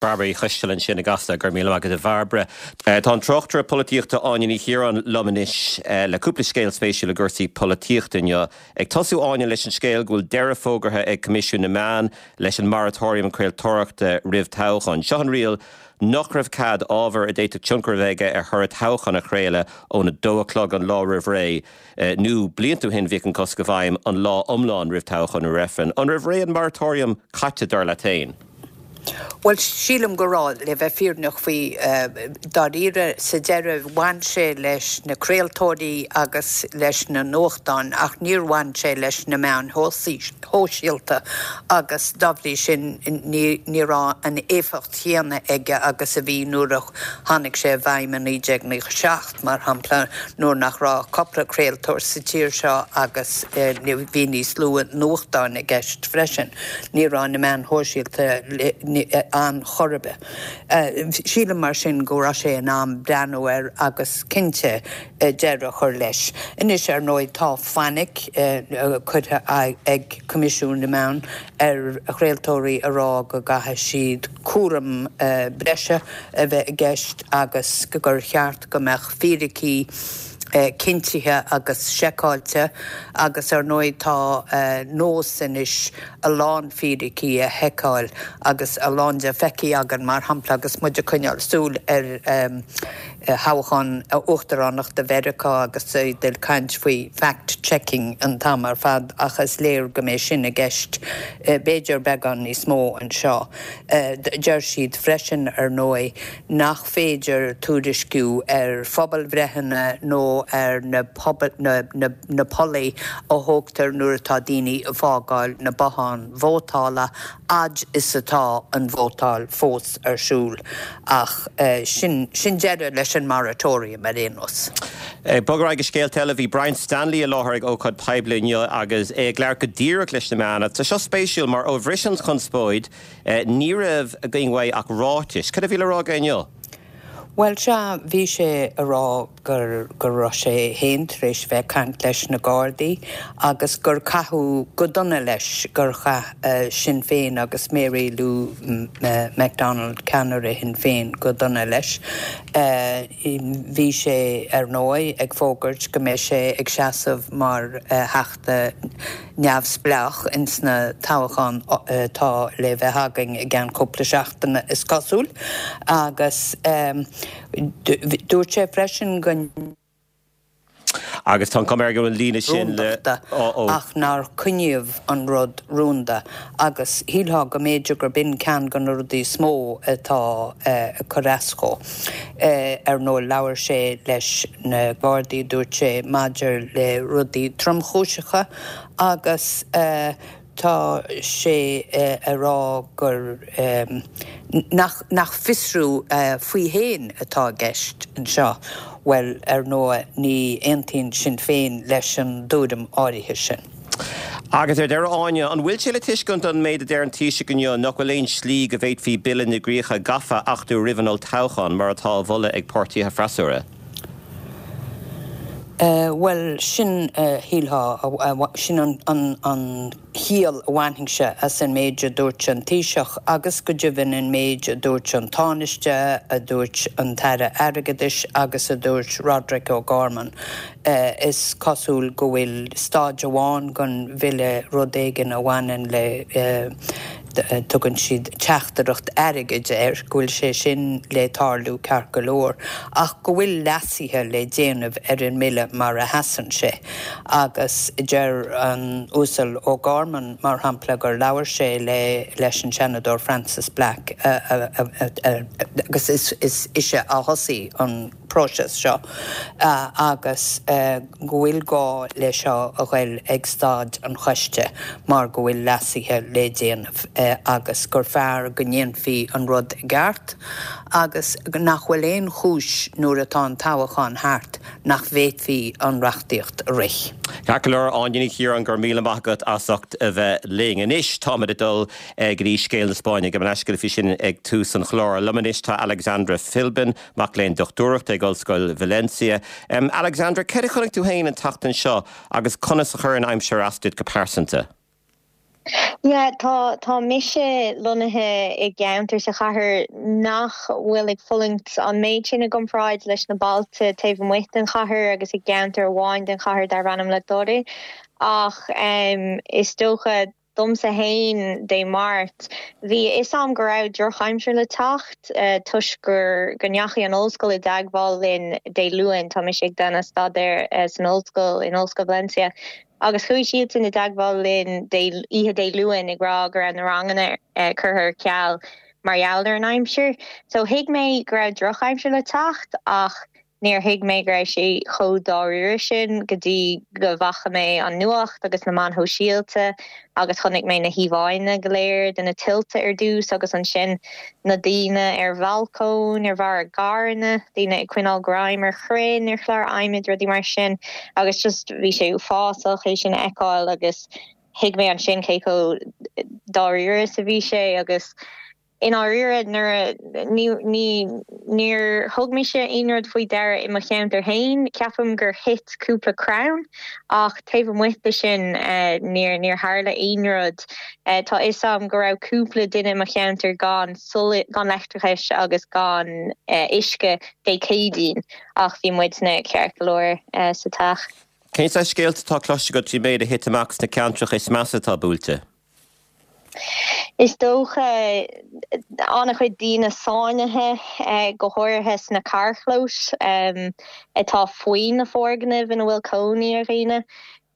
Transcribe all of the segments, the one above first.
Bairbre Uí Choisteala ansin i gCasla, go raibh míle maith agat a Bhairbre. Tá an tráchtaire polaitíochta Áine Ní Chiaráin liom anois le cúpla scéal spéisiúil i gcúrsaí polaitíochta inniu. Ag tosú Áine leis an scéal go bhfuil deireadh fógartha ag Coimisiún na Meán leis an moratorium craoltóireachta roimh toghchán. Seo an riail nach raibh cead ábhar a d'fhéadfadh tionchar a bheith aige ar thoradh toghcháin a chraoladh ón 2 a chlog an lá roimh ré. Nó blianta ó shin bhíodh an cosc i bhfeidhm an lá iomlán roimh toghchán nó reifreann. An raibh ré an moratorium caite dar leat féin? Bhuel, sílim go raibh, le bheith fírinneach faoi. Dáiríre, sa deireadh, bhain sé leis na craoltóirí agus leis na nuachtáin ach níor bhain sé leis na meáin shóisialta agus dá bhrí sin ní raibh an éifeacht chéanna aige agus a bhí nuair a tháinig sé i bhfeidhm i 1997. mar shampla, nuair nach raibh ach cúpla craoltóir sa tír seo agus bhí níos lú nuachtáin i gceist freisin. Ní raibh na meáin shóisialta ann chor ar bith. Sílim mar sin go raibh sé in am breathnú air agus cinnte deireadh a chur leis. Anois, ar ndóigh, tá fainic curtha ag Coimisiún na Meán ar chraoltóirí a rá go gcaithfidh siad cúram breise a bheith i gceist agus gur cheart go mbeadh fíricí cinntithe agus seiceáilte agus ar ndóigh tá nós anois a lán fíricí a sheiceáil agus a lán de feicthe againn mar shampla agus muid ag coinneáil súil ar thoghchán uachtaránachta Mheiriceá agus iad ag caint faoi fact checking an t-am ar fad ach is léir go mbeidh sin i gceist b'fhéidir beagán níos mó anseo. Deir siad freisin, ar ndóigh, nach féidir tuairisciú ar phobalbhreitheanna nó ar na na pollaí a thógtar nuair atá daoine ag fágáil na bothán vótála fhad is atá an vótáil fós ar siúl. Ach sin sin deireadh leis an moratorium ar aon nós. Ag bogadh ar aghaidh go scéalta eile, bhí Brian Stanley i láthair ag ócáid poiblí inniu agus é ag labhairt go díreach leis na meáin. Tá seo spéisiúil mar ó bhris an chonspóid, ní raibh againn uaidh ach ráitis. Cad a bhí le rá aige inniu? Bhuel, sea, bhí sé a rá gur go raibh sé féin tar éis bheith ag caint leis na Gardaí agus gur caitheadh go dona leis, gur chaith Sinn Féin agus Mary Lou McDonald, ceannaire Shinn Féin, go dona leis. Bhí sé, ar ndóigh, ag fógairt go mbeidh sé ag seasamh mar Theachta neamhspleách ins na toghcháin atá le bheith againn i gceann cúpla seachtaine, is cosúil, agus dúirt sé freisin go. Agus tá an chuma air go bhfuil an líne sin le. rúndachta ach nár coinníodh an rud rúnda agus shílfeá go mb'fhéidir gurb in ceann de na rudaí is mó atá ag cur as dhó. Ar ndóigh labhair sé leis na Gardaí, dúirt sé, maidir le rudaí tromchúiseacha agus tá sé a rá gur nach nach fiosrú faoi fhéin atá i gceist anseo. Bhuel, ar ndóigh, ní aontaíonn Sinn Féin leis an dtuairim áirithe sin. Agus ar deireadh, Áine, an bhfuil sé le tuiscint ón méid a deir an Taoiseach inniu nach bhfuil aon slí go bhféadfaí Bille na gCríocha Gafa a achtú roimh an olltoghchán, mar atá á mholadh ag páirtithe freasúra? Bhuel, sin, shílfeá, sin an chiall a bhainfinnse as an méid a dúirt an Taoiseach agus go deimhin an méid a dúirt an Tánaiste, a dúirt an tAire Airgeadais agus a dúirt Roderic O'Gorman. Is cosúil go bhfuil staid amháin den bhille, rud éigin a bhaineann le, tugann siad teachtaireacht airgid air, go bhfuil sé sin le tarlú ceart go leor, ach go bhfuil leasuithe le déanamh ar an mbille mar a sheasann sé. Agus deir an Uasal O'Gorman, mar shampla, gur labhair sé le leis an Seanadóir Frances Black agus is ise a thosaigh an próiseas seo agus go bhfuil gá le seo a ghoil ag staid an choiste mar go bhfuil leasuithe le déanamh agus gur fearr go ndéanfaí an rud i gceart agus nach bhfuil aon chúis nuair atá an toghachán thart nach bhféadfaí an reachtaíocht a rith. Ceart go leor, Áine Ní Chiaráin, go raibh míle maith agat as ucht a bheith linn. Anois táimid ag dul go dtí scéal na Spáinne. Gabh mo leithscéal faoi sin ag tús an chláir. Liom anois tá Alexandra Philbin, mac léinn dochtúireachta ag Ollscoil Valencia. Alexandra, céard a chonaic tú féin an tseachtain seo agus conas a chuir an aimsir as duit go pearsanta? Yeah, tá, tá mise lonnaithe i gceantar sa chathair nach bhfuil ag fulaingt an méid sin i gcomparáid leis na bailte taobh amuigh den chathair agus i gceantar amháin den chathair darb ainm La Torre. Ach is dócha domsa fhéin Dé Máirt, bhí a fhios a'm go raibh drochaimsir le teacht toisc gur, go ndeachaigh an ollscoil i dteagmháil linn Dé Luain, tá mise ag déanamh staidéir san ollscoil, in Ollscoil Valencia. Agus chuaigh siadsan i dteagmháil linn Dé, oíche Dé Luain ag rá go raibh na ranganna curtha ar ceal mar gheall ar an aimsir. So thuig mé go raibh drochaimsir le teacht ach níor thuig mé go raibh sé chomh dáiríre sin go dtí go bhfaca mé an nuacht agus na meáin shóisialta agus chonaic mé na híomháanna go léir de na tuilte ar dtús agus ansin na daoine ar bhalcóin, ar bharr a gcarranna, daoine ag coinneáil greim ar chrainn, ar chláir adhmaid, rudaí mar sin agus just bhí sé uafásach é sin a fheiceáil agus thuig mé ansin cé chomh dáiríre is a bhí sé agus i ndáiríre nuair a ní ní níor thug mise aon rud faoi deara i mo cheantar féin, ceapaim gur thit cúpla crann ach taobh amuigh de sin níor níor tharla aon rud. Tá a fhios agam go raibh cúpla duine i mo cheantar gan gan leictreachais agus gan uisce Dé Céadaoin ach bhí muidne ceart go leor sa teach. Cén saghas scéalta atá cloiste agat faoin méid a thit amach sna ceantracha is measa atá buailte? Is dócha an-chuid daoine sáinnithe, go háirithe sna carrchlóis atá faoi na foirgnimh ina bhfuil cónaí ar dhaoine.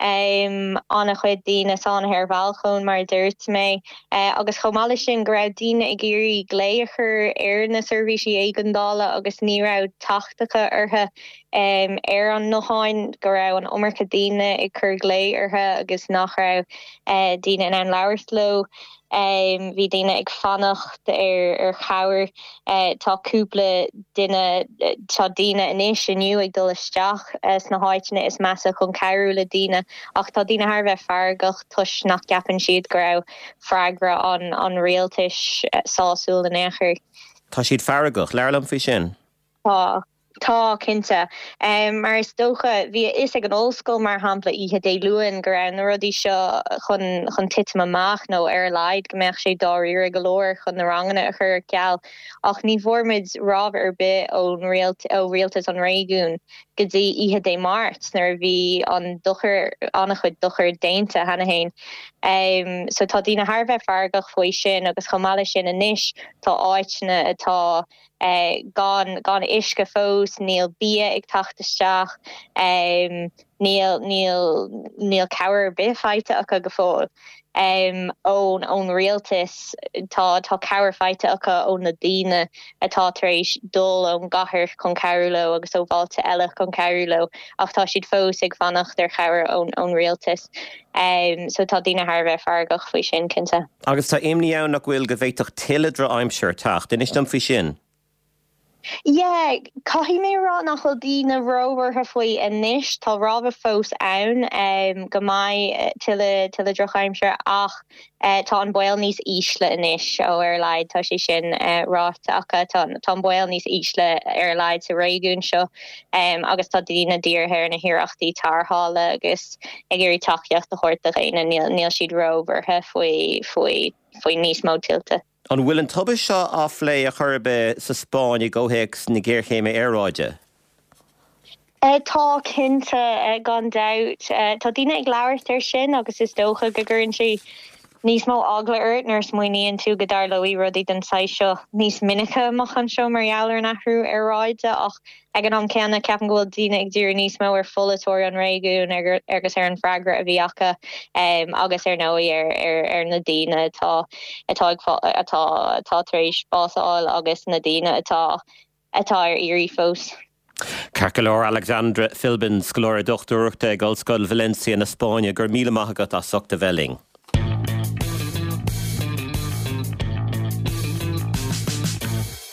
An-chuid daoine sáinnithe ar bhalcóin, mar a dúirt mé, agus chomh maith leis sin go raibh daoine ag iarraidh glao a chur ar na seirbhísí éigeandála agus ní raibh teacht acu orthu ar an nguthán, go raibh an iomarca daoine ag cur glao orthu agus nach raibh daoine in ann labhairt leo. Bhí daoine ag fanacht ar chabhair. Tá cúpla duine, tá daoine anois inniu ag dul isteach sna háiteanna is measa chun cabhrú le daoine ach tá daoine thar a bheith feargach toisc nach gceapann siad go raibh freagra an rialtais sásúil in aon chor. Tá siad feargach. Labhair liom faoi sin. Tá. Tá, cinnte. Mar is dócha, bhí a fhios ag an ollscoil, mar shampla, oíche Dé Luain go raibh na rudaí seo chun chun titim amach nó ar a laghad go mbeadh sé dáiríre go leor chun na ranganna a chur ar ceal. Ach ní bhfuair muid rabhadh ar bith ón ó rialtas an réigiúin go dtí oíche Dé Máirt nuair a bhí an dochar, an-chuid dochair déanta cheana féin. So tá daoine thar a bheith feargach faoi sin agus chomh maith leis sin anois tá áiteanna atá gan gan uisce fós, níl bia ag teacht isteach, níl níl níl cabhair ar bith faighte acu go fóill ón ón rialtas. Tá tá cabhair faighte acu ó na daoine atá tar éis dul ón gcathair chun cabhrú leo agus ó bhailte eile chun cabhrú leo ach tá siad fós ag fanacht ar chabhair ón ón rialtas. So tá daoine thar a bheith feargach faoi sin, cinnte. Agus tá imní ann, nach bhfuil, go bhféadfadh tuilleadh drochaimsire teacht. Inis dom faoi sin. Yeah, caithfidh mé a rá nach bhfuil daoine róbhuartha faoi anois. Tá rabhadh fós ann go mbeidh tuilleadh, tuilleadh drochaimsire ach tá an baol níos ísle anois, ó ar a laghad tá sé sin ráite acu. Tá, tá an baol níos ísle ar a laghad sa réigiún seo agus tá daoine dírithe ar na hiarrachtaí tarrthála agus ag iarraidh tacaíocht a thabhairt do dhaoine, níl siad róbhuartha faoi faoi faoi níos mó tuilte. An bhfuil an tubaiste seo á phlé ar chor ar bith sa Spáinn i gcomhthéacs na géarchéime aeráide? Tá, cinnte, gan dabht. Tá daoine ag labhairt air sin agus is dócha go gcuireann sé níos mó eagla ort nuair a smaoiníonn tú go dtarlóidh rudaí den saghas seo níos minice amach anseo mar gheall ar an athrú aeráide ach Ag an am céanna, ceapaim go bhfuil daoine ag díriú níos mó ar pholaiteoirí an réigiúin agus ar an bhfreagra a bhí acu agus ar ndóigh ar na daoine atá atá ag atá atá tar éis bás a fháil agus na daoine atá atá ar iarraidh fós. Ceart go leor, Alexandra Philbin, scoláire dochtúireachta ag Ollscoil Valencia na Spáinne, go raibh míle maith agat as ucht a bheith linn.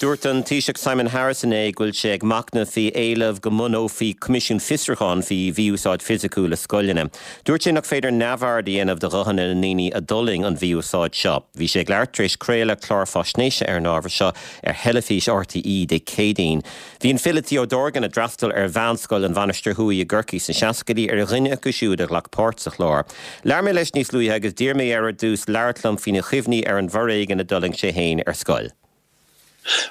Dúirt an Taoiseach Simon Harris inné go bhfuil sé ag machnamh faoi éileamh go mbunófaí coimisiún fiosrúcháin faoi mhí-úsáid fisiciúil i scoileanna. Dúirt sé nach féidir neamhaird a dhéanamh de ghuthanna na ndaoine a d'fhulaing an mhí-úsáid seo. Bhí sé ag labhairt tar éis craoladh clár faisnéise ar an ábhar seo ar theilifís RTÉ Dé Céadaoin. Bhí an file Theo Dorgan, a d'fhreastail ar Mheánscoil an Mhainistir Thuaidh i gCorcaigh sna seascaidí, ar dhuine acu siúd a ghlac páirt sa chlár. Labhair mé leis níos luaithe agus d'iarr mé air ar dtús labhairt liom faoina chuimhní ar an bhforéigean a d'fhulaing sé féin ar scoil.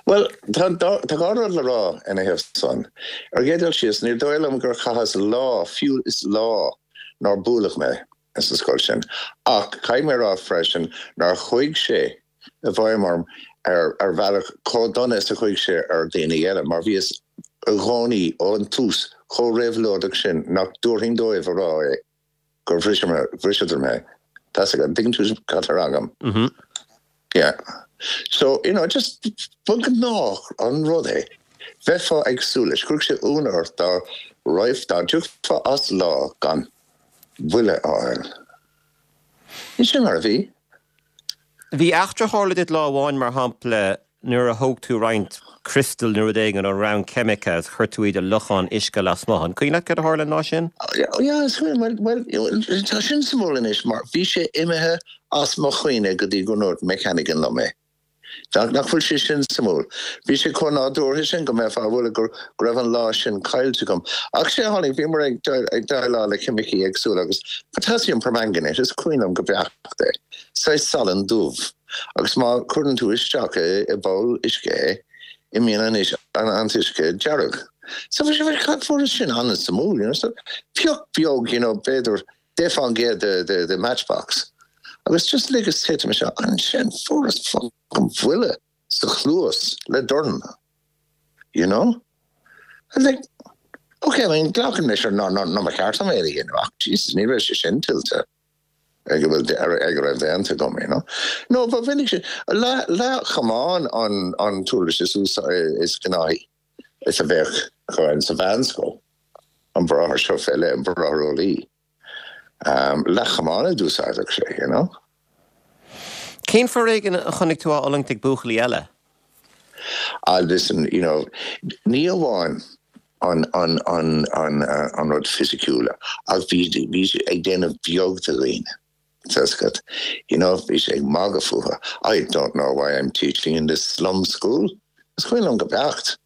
Bhuel, tá dhá rud le rá ina thaobh san. Ar an gcéad dul síos, ní dóigh liom gur chaitheas lá, fiú is lá, nár buaileadh mé sa scoil sin. Ach caithfidh mé a rá freisin nár chuaigh sé i bhfeidhm orm ar bhealach chomh dona is a chuaigh sé ar dhaoine eile, mar bhíos i gcónaí ón tús chomh réabhlóideach sin nach dtabharfainn dóibh a rá é. gur bhriseadar mé. Tá 'fhios agat, an dtuigeann tú cad tá á rá agam? Yeah. So, you know, just ba ghnách an rud é. Bheifeá ag súil leis. Chuirfeadh sé ionadh ort dá raibh, dá dtiocfá as lá gan buille a fháil. Ní sin mar a bhí. Bhí eachtra a tharla duit lá amháin, mar shampla, nuair a thóg tú roinnt criostal nó rud éigin ón rang ceimice agus chuir tú iad i lochán uisce lasmuigh. An cuimhin leat cad a tharla an lá sin? Yeah, is cuimhin. Bhuel, tá sin suimiúil anois mar bhí sé imithe as mo chuimhne go dtí go ndúirt Mick Hannigan liom é. Nach bhfuil sé sin suimiúil? Bhí sé chomh nádúrtha sin go mbeifeá ag rá go raibh an lá sin caillte agam. Ach sé a tháinig, bhíomar ag déileáil le ceimicí éagsúla agus potassium permanganate, is cuimhin liom go beacht é, saghas salann dubh, agus má chuireann tú isteach i bpoll uisce é, imíonn an t-uisce dearg. So bhí sé, fuaireas sin an-suimiúil, you know, so pioc beag, you know, b'fhéidir 10 fán gcéad de de matchbox agus just ligeas titim isteach ansin fuaireas fucking buille sa chluas le dorn you know and like ok I mean glacaim leis ar ná ná ná ba cheart dom é a dhéanamh ach Jesus ní raibh sé sin tuillte ag a bhfuil ag a raibh déanta agam you know no ba mhinic sin leathchamán an an t-uirlis is is gnáthaí is a bheadh againn sa mheánscoil, an bráthair seo fé leith, an bráthair eolaí. Leathchamán a d'úsáideadh sé, you know. Cén foréigean a chonaic tú á fhulaingt ag buachaillí eile? Ah, listen, you know, ní amháin an, an, an, an, an rud fisiciúil ach bhí, bhí sé ag déanamh beag de dhaoine. Tá 'fhios agat, you know, bhí sé ag magadh fúthu, I don't know why I'm teaching in this slum school. Is cuimhin liom go beacht,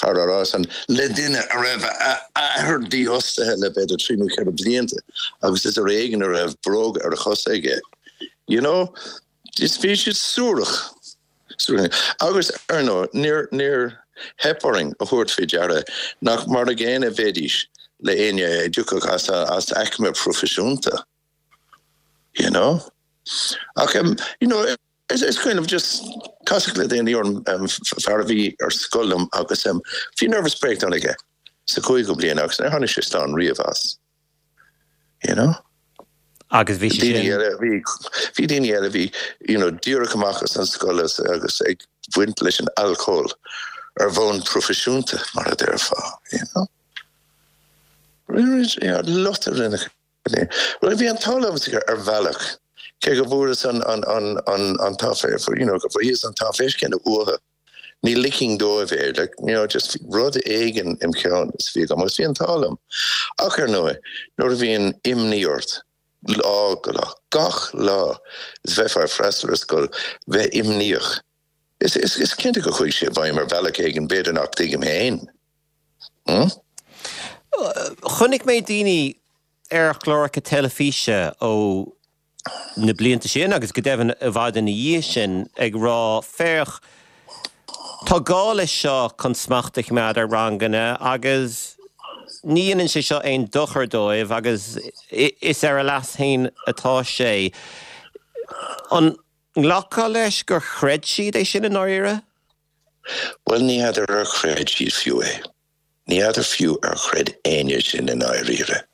fear á rá san le duine a raibh a athair dífhostaithe le b'fhéidir trí nó ceithre blianta agus is ar éigean a raibh bróga ar a chosa aige. You know, is bhí siad suarach. Agus, ar ndóigh, níor, níor theip orainn a thabhairt faoi deara nach mar a gcéanna a bheidís le éinne a dtiocfadh as, as aicme proifisiúnta. You know? Ach em, you know, is, is cuimhin liom just casadh le daoine orm, em, fear a bhí ar scoil liom agus em, bhí nervous breakdown aige sa chúigiú bliain agus níor tháinig sé slán riamh as. You know? Agus bhí sé sin. Daoine eile, bhí, bhí daoine eile a bhí, you know, díreach amach as an scoil agus, agus ag baint leis an alcól ar bhonn proifisiúnta, mar a déarfá, you know? Lot a rinne Bhuel, bhí an t-ádh liomsa ar bhealach, cé go bhfuaireas an t-áiféis, you know, go bhfuaireas an t-áiféis céanna uathu, ní ligfinn dóibh é, like, you know, just rud éigin im cheann is a bhí agam agus bhí an t-ádh liom. Ach ar ndóigh, nuair a bhíonn imní ort lá go lá, gach lá is bheifeá ag freastal ar scoil, bheith imníoch, is, is, is cinnte go chuaigh sé i bhfeidhm ar bhealach éigin, b'fhéidir nach dtuigim féin. Hmm? Chonaic mé daoine ar chláracha teilifíse ó na blianta sin agus go deimhin i bhfad ina dhiaidh sin ag rá, féach, tá gá leis seo chun smacht a choimeád ar ranganna agus ní dhéanann sé seo aon dochar dóibh agus is ar a leas féin atá sé. An nglacfá leis gur chreid siad é sin i ndáiríre? Bhuel, ní fheadar ar chreid siad fiú é. Ní fheadar fiú ar chreid éinne sin i ndáiríre.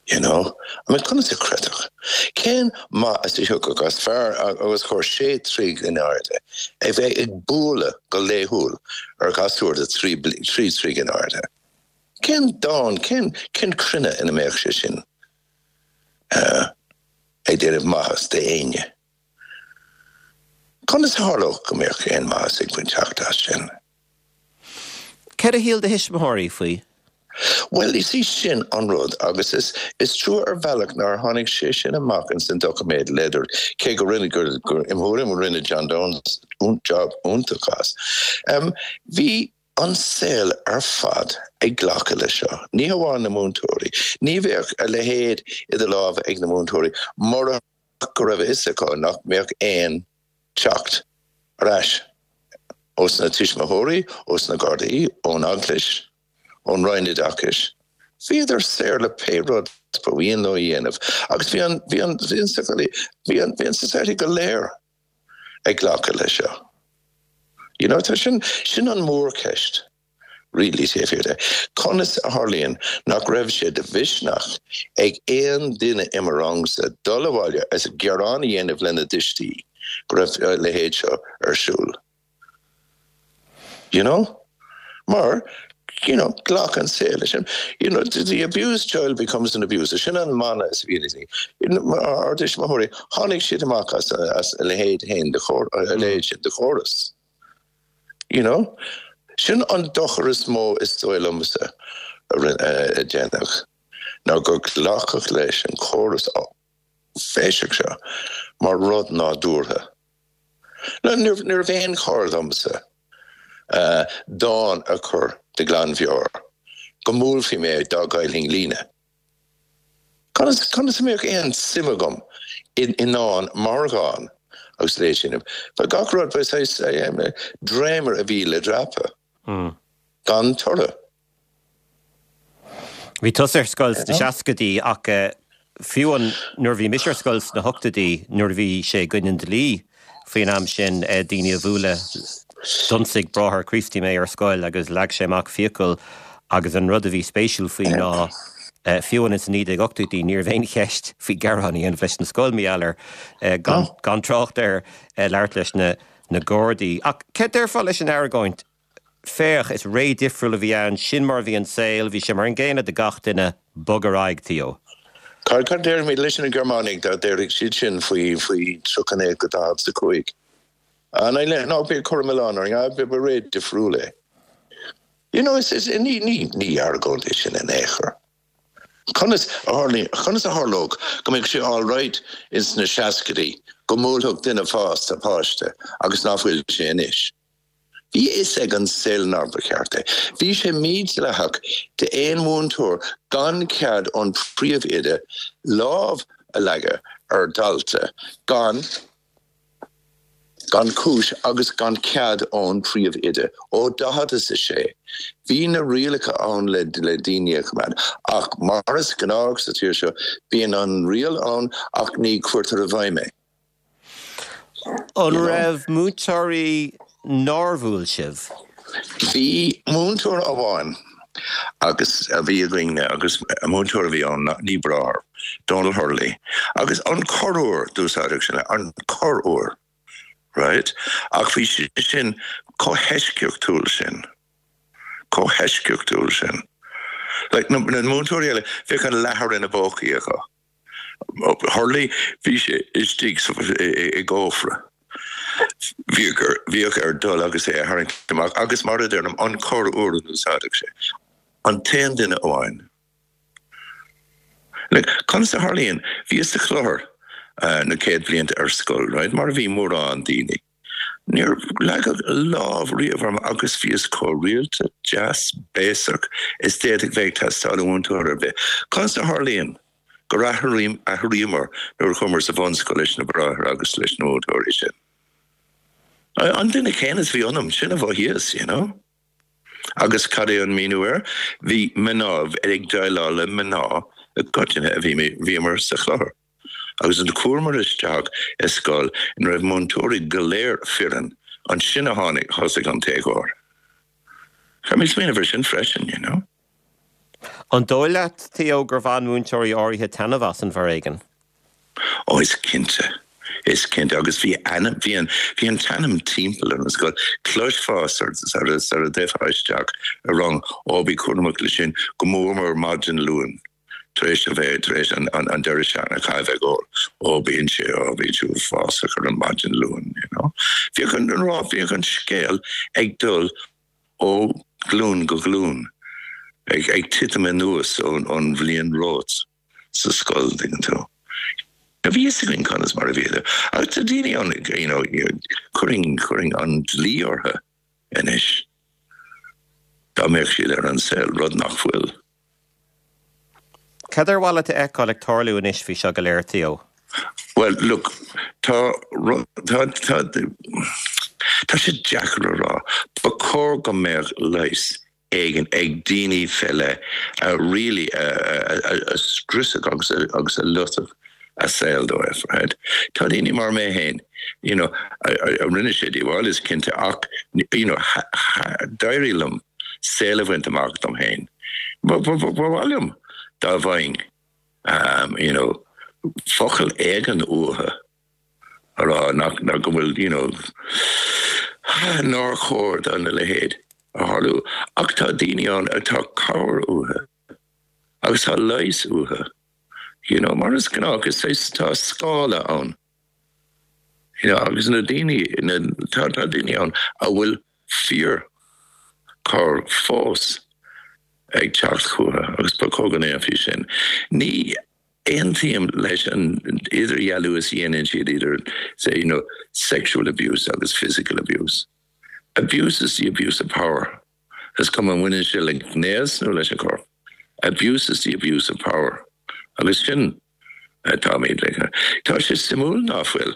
You know? I mean, conas a chreidfeadh? Cén maitheas a thiocfadh as fear os comhair sé troigh in airde a bheith ag bualadh go laethúil ar ghasúr de thrí troigh in airde? Cén domhan, cén, cén cruinne ina mbeadh sé sin ag déanamh maitheas d'éinne? Conas a tharlódh go mbeadh aon maitheas ag baint teacht as sin? Céard a shíl do thuismitheoirí faoi? Bhuel, is í sin an rud, agus is is trua ar bhealach nár tháinig sé sin amach ins an doiciméad Leather, cé go rinne, gur, gur, im thuairim, rinne John Downes job iontach as. Bhí an saol ar fad ag glacadh leis seo, ní hamháin na múinteoirí. Ní bheadh a leithéid idir lámha ag na múinteoirí murach go raibh a fhios acu nach mbeadh aon teacht ar ais ós na tuismitheoirí, ós na Gardaí, ón Eaglais, ón Roinn Oideachais. Bhíodar saor le pé rud ba mhian leo a dhéanamh agus bhí an, bhí an, bhí an, bhí an, bhí an society go léir ag glacadh leis seo. You know, tá sin, sin an mhórcheist. Really taobh thiar de. Conas a tharlaíonn nach raibh sé de mhisneach ag aon duine i mo rangsa dul abhaile is gearán a dhéanamh lena dtuistí go raibh a leithéid seo ar siúl? You know? Mar, you know, ghlac an saol leis sin. You know, the abused child becomes an abuser. Sin an mana is a bhíonn ag ár dtuismitheoirí. Tháinig siad amach as a leithéid féin de a leithéid sin de chóras. You know? Sin an dochar is mó is dóigh liomsa a déanadh, ná gur glacadh leis an chóras áiféiseach seo mar rud nádúrtha. Ní raibh aon chor domsa dán a chur de ghlanmheabhair go mbuailfí mé dá gcaillfinn líne. Conas, conas a mbeadh aon suim agam i ndán mar dhán agus léigh sin? Ba gach rud, ba saghas dréimire a bhí le dreapadh, gan toradh. Bhí tusa ar scoil sna seascaidí ach fiú an, nuair a bhí mise ar scoil sna hochtóidí, nuair a bhí sé i gcoinne an dlí faoin am sin daoine a bhualadh, d'ionsaigh bráthair Críostaí mé ar scoil agus leag sé amach fiacail agus an rud a bhí spéisiúil faoi ná fiú amháin ins na 1980idí ní raibh aon cheist faoi gearán a dhéanamh leis an scoil mar gheall air gan gan trácht ar labhairt leis na na Gardaí. Ach céard déarfá leis an argóint Féach, is ré difriúil a bhí ann, sin mar a bhí an saol, bhí sé mar an gcéanna do gach duine, bog ar aghaidh, Theo. Cad cad déarfaimid leis na Gearmánaigh dá déarfadh siad sin faoi faoi 39 go 45? An é ná bí ag cur an milleán orainn, ah ba ré difriúil é. You know, is is ní ní ní argóint é sin in aon chor. Conas a tharlaíonn, conas a tharlódh go mbeadh sé all right ins na seascaidí go mbuailfeadh duine fásta páiste agus ná fuil sé anois? Bhí a fhios ag an saol nár ba cheart é. Bhí sé mídhleathach d'aon mhúinteoir gan cead ón phríomhoide lámh a leagadh ar dhalta gan gan chúis agus gan cead ón phríomhoide. Ó 46 bhí na rialacha ann le le daoine a choimeád ach mar is gnách sa tír seo bíonn an riail ann ach ní chuirtear i bhfeidhm é. An raibh múinteoirí nár bhuail sibh? Bhí múinteoir amháin agus a bhí againne agus múinteoir a bhí ann, ní bráthair, Donal Hurley, agus an corruair d'úsáideadh sin é, an corruair, right? Ach bhí sé sin chomh heisceachtúil sin, chomh heisceachtúil sin. Like na múinteoirí eile, bheadh an leathar ina bpócaí acu. Hurley, bhí sé istigh i gcófra. Bhíodh air dul agus é a tharraingt amach agus mar a deirim, an corr uair a d'úsáideadh sé. An t-aon duine amháin. Like, conas a tharlaíonn? Bhíos sa chlochar na céad bhlianta ar scoil, right, mar a bhí mórán daoine. Níor leagadh lámh riamh orm agus bhíos chomh rialta, deas, béasach is d'fhéadfadh bheith ag teastáil ó mhúinteoir ar bith. Conas a tharlaíonn gur athraíomar nuair a chuamar sa bhunscoil leis na bráithre agus leis na múinteoirí sin? An duine céanna is a bhí ionam, sin a mhothaíos, you know. Agus cad é an míniú air? Bhí mná ag déileáil le mná i gcoitinne a bhí, bhíomar sa chlochar. Agus nuair a chuamar isteach i scoil ina raibh múinteoirí go léir fireann, ansin a tháinig, thosaigh an t-éagóir. Caithfidh mé smaoineamh ar sin freisin, you know. An dóigh leat, Theo, gur bhain múinteoirí áirithe taitneamh as an bhforéigean? Ó, is cinnte. Is cinnte. Agus bhí ainm, bhí an, bhí an t-ainm timpeall ar an scoil. Chloisfeá sar, sar, sar a dtéifeá isteach i rang, ó, bí cúramach leis sin, go mór mór maidin Luain. Tar éis a bheith, tar éis an deireadh seachtaine a chaitheamh ag ól, ó bíonn sé, ó bíonn sé uafásach ar an maidin Luain, you know. Bhíodh an, bhíodh an scéal ag dul ó ghlúin go glúin, ag, ag titim anuas ón, ón bhliain romhat sa scoil, tuigeann tú. Bhí a fhios againn conas mar a bhíodar. Agus tá daoine ann, you know, chuirfinn, chuirfinn an dlí orthu anois dá mbeadh siad ar an saol, rud nach bhfuil. Cad ar mhaith leat a fheiceáil ag tarlú anois faoi seo go léir, Theo? Bhuel, look, tá, tá, tá, tá sé deacair a rá. Ba chóir go mbeadh leigheas éigin ag daoine fé leith a really a, a, a scriosfadh agus a, agus a loitfeadh a saol dóibh, right? Tá daoine mar mé féin, you know, a, a, a rinne sé díobháil is cinnte ach, you know, d'éirigh liom saol a bhaint amach dom féin. Ba mhaith liom dá bhfaighinn you know focal éigin uathu a rá nach go bhfuil you know nár chóir do na leithéid a tharlú. Ach tá daoine ann atá cabhair uathu agus tá leigheas uathu you know mar is gnách is tá scála ann. You know, agus na daoine, na, tá, tá daoine ann a bhfuil fíorchabhair fós ag teacht chucu agus ba chóir go ndéanfaí sin. Ní aontaím leis an idirdhealú is a dhéanann siad idir, say, you know, sexual abuse agus physical abuse. Abuse is the abuse of power. Is cuma an mbaineann sé le gnéas nó leis an chorp. Abuse is the abuse of power. Agus sin atáimid le. Tá sé suimiúil ná fuil,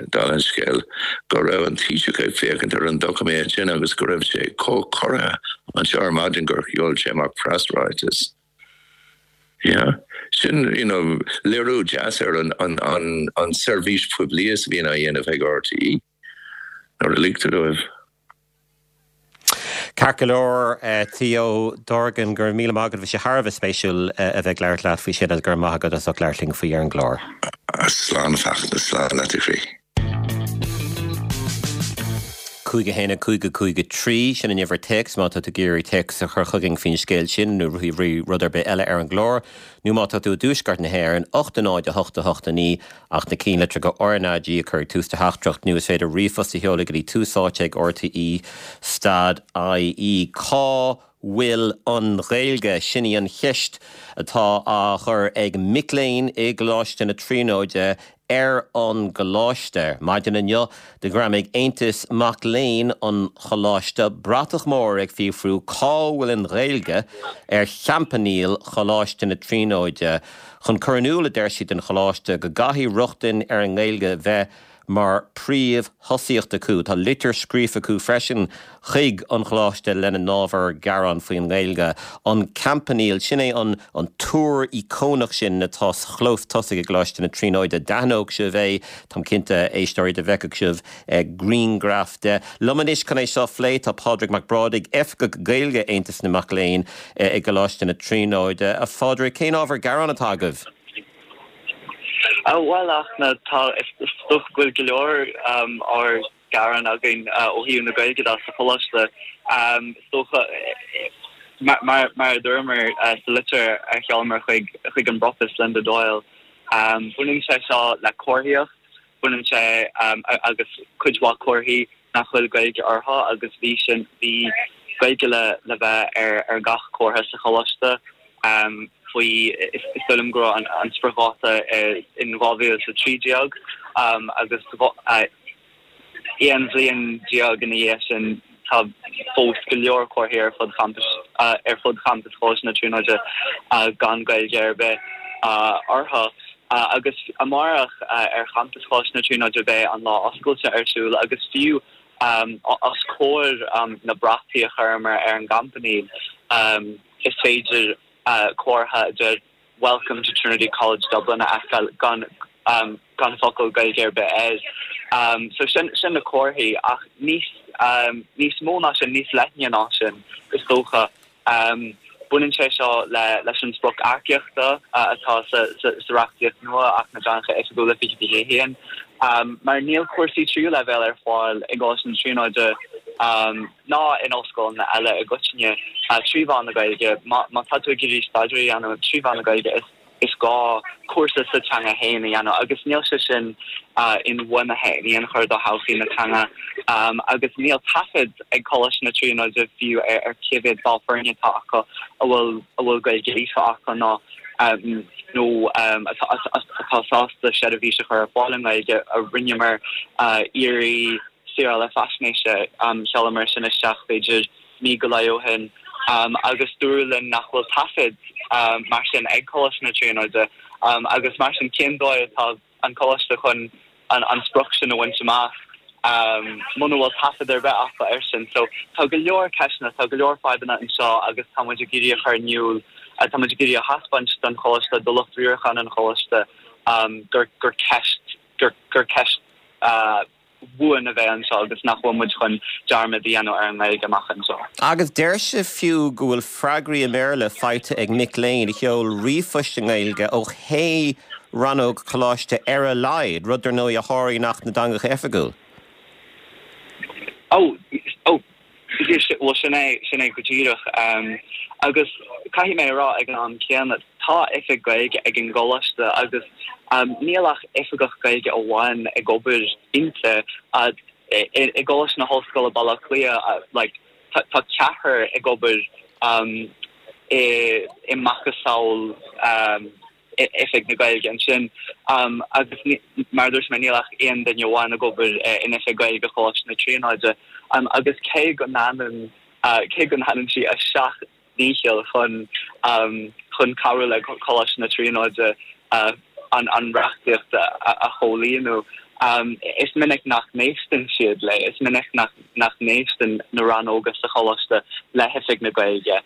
dála an scéil, go raibh an Taoiseach ag féachaint ar an doiciméad sin agus go raibh sé chomh corraithe anseo ar maidin gur sheol sé amach preasráiteas. Yeah. Sin, you know, léiriú deas ar an, an, an, an seirbhís phoiblí is a bhíonn á dhéanamh ag RTÉ nuair a ligtear dóibh. Ceart go leor, Theo Dorgan, go raibh míle maith agat. Bhí sé thar a bheith spéisiúil a bheith ag labhairt leat faoi sin agus go raibh maith agat as ucht labhairt linn faoi ar an gclár. Slán a Fachtna, slán leat a chroí. 5 1 5 5 3, sin an uimhir téacs má tá tú ag iarraidh téacs a chur chugainn faoin scéal sin nó faoi rud ar bith eile ar an gclár, nó má tá tú i dtuaisceart na hÉireann, 8 0 8 8 9 ach na cinnlitreacha RnaG a chur ag tús do theachtaireacht nó is féidir ríomhphost a sheoladh go dtí Tús Áite ag RTÉ stad IE. Cá bhfuil an Ghaeilge? Sin í an cheist atá á chur ag mic léinn i gColáiste na Tríonóide ar an gcoláiste. Maidin inniu do ghreamaigh Aontas Mac Léinn an Choláiste bratach mór ag fiafrú cá bhfuil an Ghaeilge ar champanile Choláiste na Tríonóide. Chun cur in iúl, a deir siad don Choláiste, go gcaithfidh rochtain ar an nGaeilge bheith mar príomh-thosaíocht acu. Tá litir scríofa acu freisin chuig an Choláiste lena n-ábhar gearáin faoin nGaeilge. An Campanile, sin é an an túr íocónach sin atá sa chlós tosaigh i gColáiste na Tríonóide. D'aithneodh sibh é, táim cinnte, a éisteoirí, dá bhfeicfeadh sibh grianghraf de. Liom anois chun é seo a phlé tá Pádraig Mac Brádaigh, Oifigeach Gaeilge Aontas na Mac Léinn i gColáiste na Tríonóide. A Phádraig, cén ábhar gearáin atá agaibh? Bhuel, a Fhachtna, tá, is dócha go bhfuil go leor ábhar gearáin againn ó thaobh na Gaeilge de sa choláiste. Is dócha, mar a dúramar sa litir a sheolamar chuig an bPropast Linda Doyle, baineann sé seo le comharthaíocht, Baineann sé agus cuid mhaith comharthaí nach bhfuil Gaeilge orthu agus bhí sin, bhí Gaeilge le le bheith ar ar gach comhartha sa choláiste faoi, is dóigh liom go raibh an spriocdháta in 2013 agus 11 bhliain ina dhiaidh sin tá fós go leor comharthaí ar fud champais ar fud champas Choláiste na Tríonóide gan Gaeilge ar bith orthu. Agus amárach ar champas Choláiste na Tríonóide beidh an lá oscailte ar siúl agus fiú os comhair na brataí a chuireamar ar an gcampanile is féidir comhartha a deir Welcome to Trinity College Dublin a fheiceáil gan gan focal Gaeilge ar bith air. So sin sin na comharthaí ach níos níos mó ná sin, níos leithne ná sin is dócha. Baineann sé seo le leis an sprioc earcaíochta atá sa sa sa reachtaíocht nua, Acht na dTeangacha Oifigiúla 2021, mar níl cúrsaí tríú leibhéal ar fáil i gColáiste na Tríonóide ná in ollscoileanna eile i gcoitinne trí mheán na Gaeilge. Má tá tú ag iarraidh staidéar a dhéanamh trí mheán na Gaeilge, is. Is gá cúrsa sa teanga féin a dhéanamh agus níl sé sin inbhuanaithe in aon chor do thodhchaí na teanga agus níl taifead ag Coláiste na Tríonóide fiú ar cé mhéad ball foirne atá acu a bhfuil a bhfuil Gaeilge líofa acu nó nó atá sásta seirbhís a chur ar fáil i nGaeilge. Rinneamar iarraidh saorála faisnéise, sheolamar sin isteach b'fhéidir mí go leith ó shin agus dúradh linn nach bhfuil taifead mar sin ag Coláiste na Tríonóide agus mar sin cén dóigh atá an coláiste chun an sprioc sin a bhaint amach muna bhfuil taifead ar bith acu air sin. So tá go leor ceisteanna, tá go leor fadhbanna anseo agus tá muid ag iarraidh a chur in iúl, tá muid ag iarraidh a thaispeáint don choláiste, do lucht riaracháin an choláiste gur gur ceist gur gur ceist bhuan a bheidh anseo agus nach bhfuil muid chun dearmad a dhéanamh ar an nGaeilge amach anseo. Agus deir sibh fiú go bhfuil freagraí i mBéarla faighte ag mic léinn a sheol ríomhphoist i nGaeilge ó shé rannóg choláiste ar a laghad, rud dar ndóigh a sháraíonn Acht na dTeangacha Oifigiúil. Ó, ó, Bhuel, sin é, sin é go díreach. Agus caithfidh mé a rá ag an am céanna, tá oifig Gaeilge ag an gcoláiste agus níl ach oifigeach Gaeilge amháin ag obair inti. I gColáiste na hOllscoile Baile Átha Cliath, like, tá ceathrar ag obair i macasamhail Oifig na Gaeilge ansin agus mar a dúirt mé níl ach aon duine amháin ag obair in Oifig Gaeilge Choláiste na Tríonóide agus cé go ndéanann cé go ndéanann sí a seacht ndícheall chun chun cabhrú le Coláiste na Tríonóide an an reachtaíocht a chomhlíonadh is minic nach n-éisteann siad léi, is minic nach nach n-éisteann na rannóga sa choláiste le hOifig na Gaeilge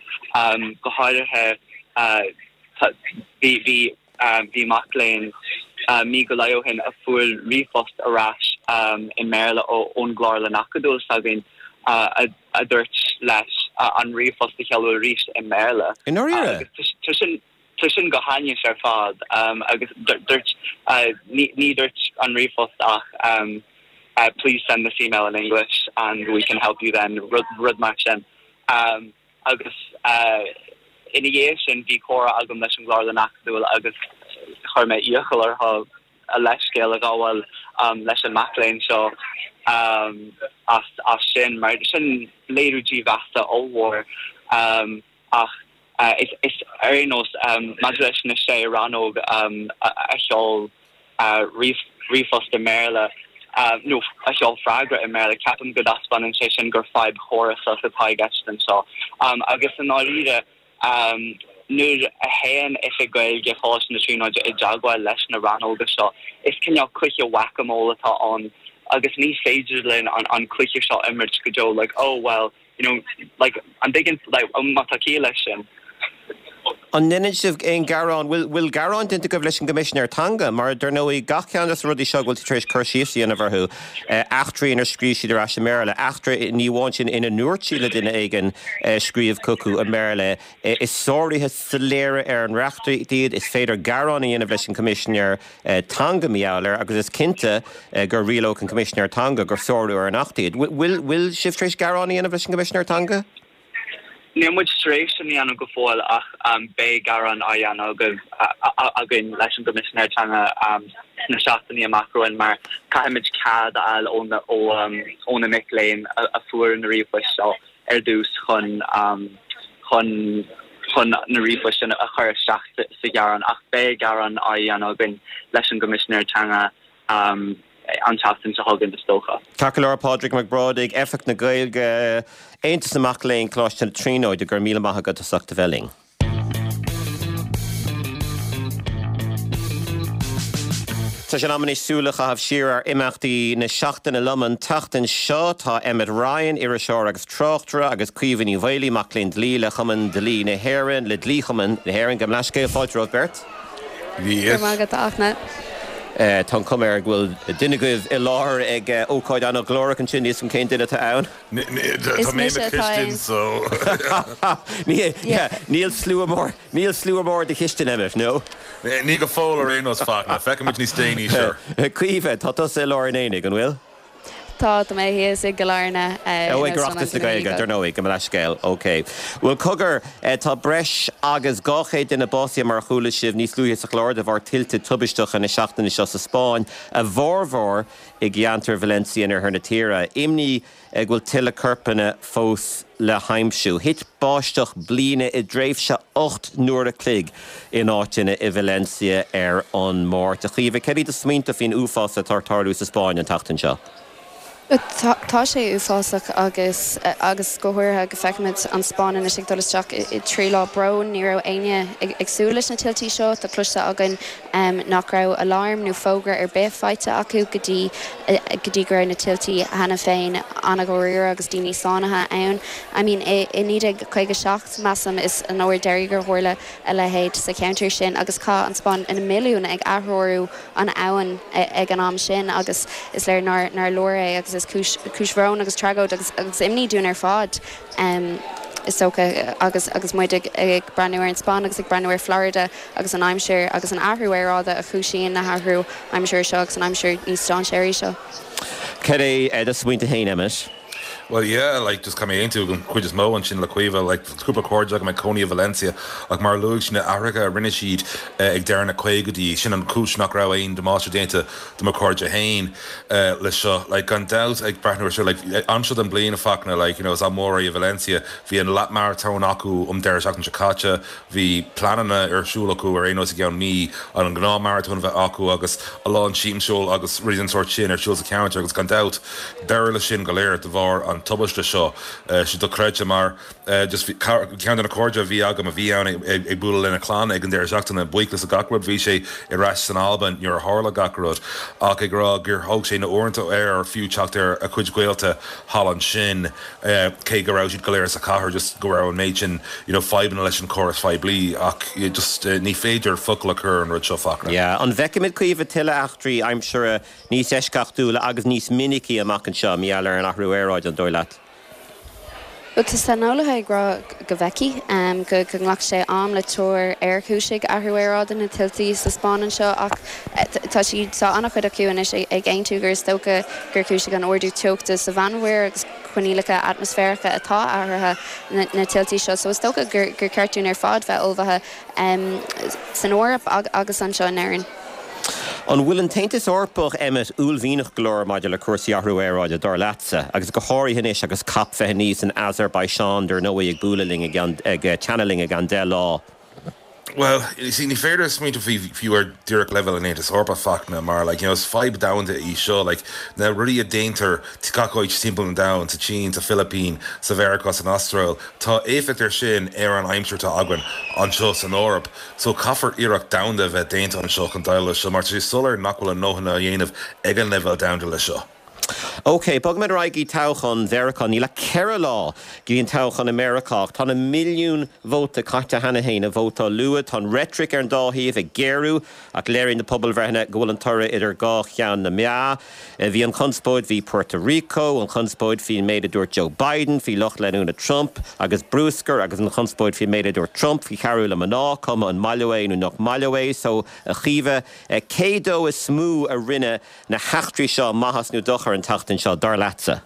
go háirithe Bhí, bhí, bhí mac léinn mí go leith ó shin a fuair ríomhphost ar ais i mBéarla ón gClárlann Acadúil s'againn a dúirt leis an ríomhphost a sheoladh arís i mBéarla. I ndáiríre? Agus tá sin, tá sin go hainnis ar fad agus dúirt, ní, ní dúirt an ríomhphost ach please send this email in English and we can help you then, rud, rud mar sin. Agus ina dhiaidh sin bhí comhrá agam leis an gClárlann Acadúil agus chuir mé iachall orthu a leithscéal a ghabháil leis an mac léinn seo as sin, mar sin léiriú dímheasa ollmhór. Ach is ar aon nós, maidir leis na sé rannóg a sheol ríomhphost i mBéarla, nó a sheol freagra i mBéarla, ceapaim go dtaispeánann sé sin gur fadhb chórasach atá i gceist anseo. Agus i ndáiríre, nuair a théann Oifig Gaeilge Choláiste na Tríonóide i dteagmháil leis na rannóga seo, is cineál cluiche whack-a-mole atá ann agus ní féidir linn an cluiche seo a imirt go deo, like, oh well, you know, like, an dtuigeann, like, má tá ciall leis sin. An ndéanann sibh aon ghearán, bhfuil, bhfuil gearán déanta agaibh leis an gCoimisinéir Teanga? Mar, dar ndóigh, gach ceann de na rudaí seo go bhfuil tú tar éis cur síos a dhéanamh orthu, eachtraí inar scríobh siad ar ais i mBéarla, eachtra, ní amháin sin, ina ndúirt siad le duine éigin scríobh chucu i mBéarla, is sáruithe soiléire ar an reachtaíocht iad, is féidir gearán a dhéanamh leis an gCoimisinéir Teanga mar gheall air agus is cinnte go rialódh an Coimisinéir Teanga gur sárú ar an Acht iad. Bhfuil sibh tar éis gearán a dhéanamh leis an gCoimisinéir Teanga? Níl muid tar éis sin a dhéanamh go fóill ach beidh gearán á dhéanamh againn leis an gCoimisinéir Teanga sna seachtainí amach romhainn mar caithfimid cead a fháil ó na mic léinn a fuair na ríomhphoist seo. ar dtús chun chun chun na ríomhphoist sin a chur isteach sa ghearán ach beidh gearán á dhéanamh againn leis an gCoimisinéir Teanga an tseachtain seo chugainn is dócha. Ceart go leor, Pádraig Mac Brádaigh, Oifigeach na Gaeilge, Aontas na Mac Léinn, Coláiste na Tríonóide, go raibh míle maith agat as ucht a bheith linn. Tá sé in am anois súil a chaitheamh siar ar imeachtaí na seachtaine. Liom an tseachtain seo tá Emmet Ryan, iriseoir agus tráchtaire, agus Caoimhe Ní Mhaolaí, mac léinn dlí le Cumann Dlí na hÉireann, le Dlí-Chumann na hÉireann. Gabh mo leithscéal, fáilte romhaibh beirt. Go raibh maith agat, a Fhachtna. Tá an chuma air go bhfuil duine agaibh i láthair ag ócáid an-ghlórach ansin, níl 'fhios agam cén duine atá ann. Tá mé i mo chistin so. Níl slua mór, níl slua mór i do chistin, Emmet, no? Ní go fóill ar aon nós, Fachtna. Feicfimid níos déanaí, sure. Caoimhe, tá tusa i lár an aonaigh, an bhfuil? Tá, tá mé thíos i gCill Airne in Ó, ag Óstlann Oireachtas na Anthony Gaeilge, Eagle. dar ndóigh, gabh mo leithscéal. Ok. Bhuel, cogar, tá breis agus 200 duine básaithe mar a chuala sibh níos luaithe sa chlár de bharr tuilte tubaisteacha na seachtaine seo sa Spáinn, a bhformhór i gceantar Valencia in oirthear na tíre. Imní go bhfuil tuilleadh corpanna fós le haimsiú. Thit báisteach bliana i dtréimhse 8 n-uair a chloig in áiteanna i Valencia ar an Máirt. A Chaoimhe, céard iad do smaointe faoin uafás atá ag tarlú sa Spáinn an tseachtain seo? Tá sé uafásach agus agus go háirithe go feicimid an Spáinn anois ag dul isteach i 3 lá bróin. Ní raibh éinne ag súil leis na tuiltí seo. Tá cloiste againn nach raibh aláram nó fógra ar bith faighte acu go dtí go dtí go raibh na tuiltí cheana féin an-dháiríre agus daoine sáinnithe ann. I mean i 1957, measaim, is an uair deiridh gur tharla a leithéid sa cheantar sin agus chaith an Spáinn na milliúin ag aththreorú an abhainn ag an am sin agus is léir nár nár leor é agus is cúis cúis bhróin agus tragóid agus agus imní dúinn ar fad is dócha agus agus muid ag ag breathnú ar an Spáinn agus ag breathnú ar Florida agus an aimsir agus an athrú aeráide a chúisíonn na hathrú aimsire seo agus an aimsir níos dainséaraí seo. Cad é do smaointe féin, Emmet? Well yeah, like just caithfidh mé aontú den chuid is mó ansin le Caoimhe, like tá cúpla cairde agam ag cónaí i Valencia ach mar a luaigh sí na athruithe a rinne siad ag deireadh na caogaidí, sin an chúis nach raibh aon damáiste déanta do mo chairde féin le seo. Like gan dabht ag breathnú ar seo, like am seo den bliain a Fachtna, like you know is am mór é i Valencia, bhí an leath maratón acu um deireadh seachtaine seo caite, Bhí pleananna ar siúl acu ar aon nós i gceann mí an gnáth-maratón a bheith acu agus a lán siamsiúil agus rudaí den sórt sin ar siúl sa cheantar agus gan dabht deireadh leis sin go léir de bharr an tubaiste seo. Sé dochreidte mar just bhí ceann de na cairde a bhí agam a bhí ann ag bualadh lena chlann ag an deireadh seachtaine, buíochas le gach rud bhí sé ar ais san Albain nuair a tharla gach rud ach ag rá gur thóg sé na uaireanta air fiú teacht ar a chuid gaolta thall ansin. cé go raibh siad go léir sa chathair, just go raibh an méid sin you know fadhbanna leis an chóras phoiblí ach just ní féidir focal a chur ar an rud seo Fachtna. Yeah. An bhfeicfimid Caoimhe tuilleadh eachtraí aimsire níos eisceachtúla agus níos minicí amach anseo mar gheall ar an athrú aeráide, an dóigh leat? Bhuel, tá saineolaithe ag rá go bhfeicfidh, go nglacfaidh sé am le tuar ar chúisigh athrú aeráide na tuiltí sa Spáinn anseo ach tá siad, tá an-chuid acu anois ag aontú gur is dócha gur chúisigh an ardú teochta sa Mheánmhuir agus coinníollacha atmaisféaracha atá athraithe na tuiltí seo so is dócha gur ceart dúinn ar fad bheith ullmhaithe san Eoraip agus anseo in Éirinn. An bhfuil an tAontas Eorpach, Emmet, uaillmhianach go leor maidir le cúrsaí athrú aeráide, dar leatsa, agus go háirithe anois agus Cop 29 san Azerbaisean, dar ndóigh, ag bualadh linn, ag teannadh linn i gceann 10 lá? Bhuel, you see, ní féidir smaointiú faoi fiú ar díreach leibhéal an Aontais Eorpaigh, Fachtna, mar like, you know, is fadhb domhanda í seo, like, na rudaí a déantar gach áit timpeall an domhain, sa tSín, sa Philipín, sa Mheiriceá, san Astráil, tá éifeacht air sin ar an aimsir atá againn anseo san Eoraip. So caithfear iarracht domhanda a bheith déanta anseo chun déileáil leis seo, mar tá sé soiléir nach bhfuil a ndóthain á dhéanamh ag an leibhéal domhanda leis seo. OK, bogfaimid ar aghaidh go dtí toghchán Mheiriceá. Níl ach 4 lá go dtí an toghchán i Meiriceá ach tá na milliúin vóta caite cheana féin i vótáil luath. Tá an reitric ar an dá thaobh ag géarú ach léiríonn na pobalbhreitheanna go bhfuil an toradh idir dhá cheann na meá. Bhí an chonspóid faoi Puerto Rico, an chonspóid faoin méid a dúirt Joe Biden faoi lucht leanúna Trump agus bruscar agus an chonspóid faoin méid a dúirt Trump faoi chabhrú le mná, cuma an maith leo é nó nach maith leo é. So, a Chaoimhe, cé dó is mó a rinne na heachtraí seo maitheas nó dochar an tseachtain seo, dar leatsa?